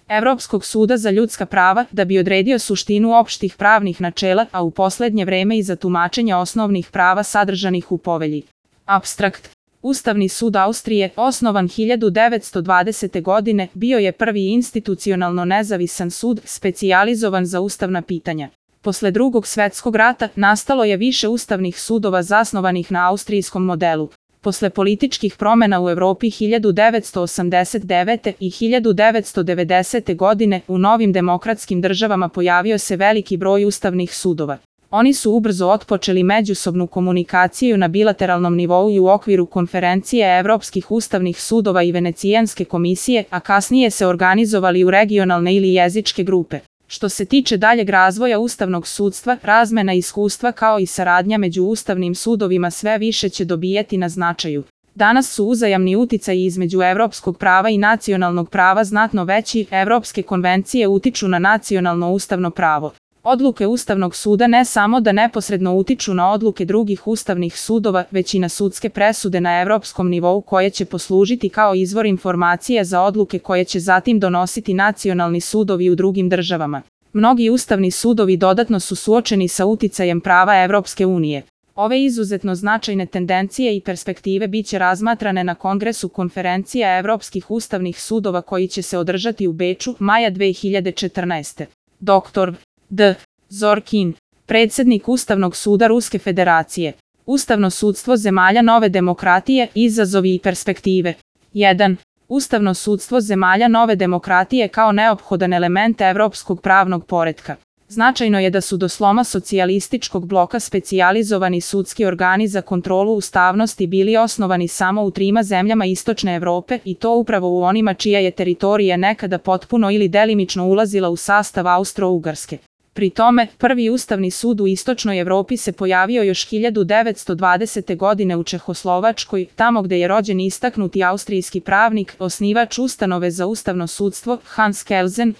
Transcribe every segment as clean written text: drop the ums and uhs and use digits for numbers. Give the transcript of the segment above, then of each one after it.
Evropskog suda za ljudska prava da bi odredio suštinu opštih pravnih načela, a u poslednje vreme i za tumačenje osnovnih prava sadržanih u povelji. Apstrakt. Ustavni sud Austrije, osnovan 1920. godine, bio je prvi institucionalno nezavisan sud, specijalizovan za ustavna pitanja. Posle Drugog svetskog rata nastalo je više ustavnih sudova zasnovanih na austrijskom modelu. Posle političkih promena u Evropi 1989. i 1990. godine u novim demokratskim državama pojavio se veliki broj ustavnih sudova. Oni su ubrzo otpočeli međusobnu komunikaciju na bilateralnom nivou i u okviru konferencije Evropskih ustavnih sudova i Venecijanske komisije, a kasnije se organizovali u regionalne ili jezičke grupe. Što se tiče daljeg razvoja ustavnog sudstva, razmena iskustva kao i saradnja među ustavnim sudovima sve više će dobijati na značaju. Danas su uzajamni uticaji između evropskog prava i nacionalnog prava znatno veći, evropske konvencije utiču na nacionalno ustavno pravo. Odluke Ustavnog suda ne samo da neposredno utiču na odluke drugih ustavnih sudova, već i na sudske presude na evropskom nivou koje će poslužiti kao izvor informacija za odluke koje će zatim donositi nacionalni sudovi u drugim državama. Mnogi ustavni sudovi dodatno su suočeni sa uticajem prava Evropske unije. Ove izuzetno značajne tendencije i perspektive biće razmatrane na Kongresu konferencija Evropskih ustavnih sudova koji će se održati u Beču maja 2014. Dr. D. Zorkin, predsjednik Ustavnog suda Ruske federacije. Ustavno sudstvo zemalja nove demokratije, izazovi i perspektive. 1. Ustavno sudstvo zemalja nove demokratije kao neophodan element evropskog pravnog poretka. Značajno je da su do sloma socijalističkog bloka specijalizovani sudski organi za kontrolu ustavnosti bili osnovani samo u 3 zemljama Istočne Evrope i to upravo u onima čija je teritorija nekada potpuno ili delimično ulazila u sastav Austro-Ugarske. Pri tome, prvi Ustavni sud u Istočnoj Evropi se pojavio još 1920. godine u Čehoslovačkoj, tamo gde je rođen istaknuti austrijski pravnik, osnivač ustanove za ustavno sudstvo,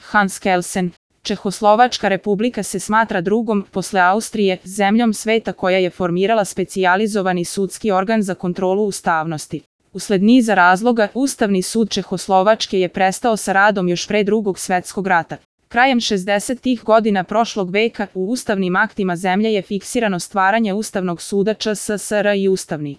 Hans Kelsen. Čehoslovačka republika se smatra drugom, posle Austrije, zemljom sveta koja je formirala specijalizovani sudski organ za kontrolu ustavnosti. Usled niza razloga, Ustavni sud Čehoslovačke je prestao sa radom još pre Drugog svetskog rata. Krajem 60-ih godina prošlog veka u ustavnim aktima zemlje je fiksirano stvaranje Ustavnog suda ČSSR i Ustavni